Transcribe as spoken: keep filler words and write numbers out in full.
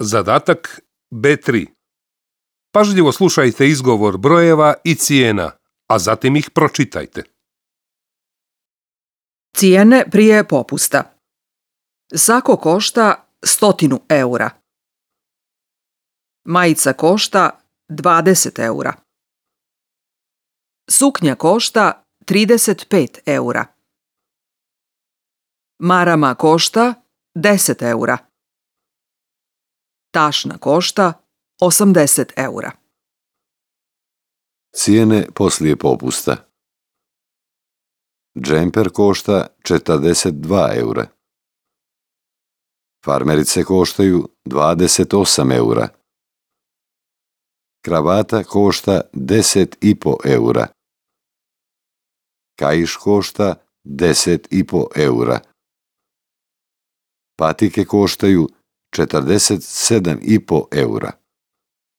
Zadatak B tri. Pažljivo slušajte izgovor brojeva i cijena, a zatim ih pročitajte. Cijene prije popusta. Sako košta stotinu eura. Majica košta dvadeset eura. Suknja košta trideset pet eura. Marama košta deset eura. Tašna košta osamdeset eura. Cijene poslije popusta. Džemper košta četrdeset dva eura. Farmerice koštaju dvadeset osam eura. Kravata košta deset i po eura. Kaiš košta deset i po eura. Patike koštaju četrdeset sedam i po eura.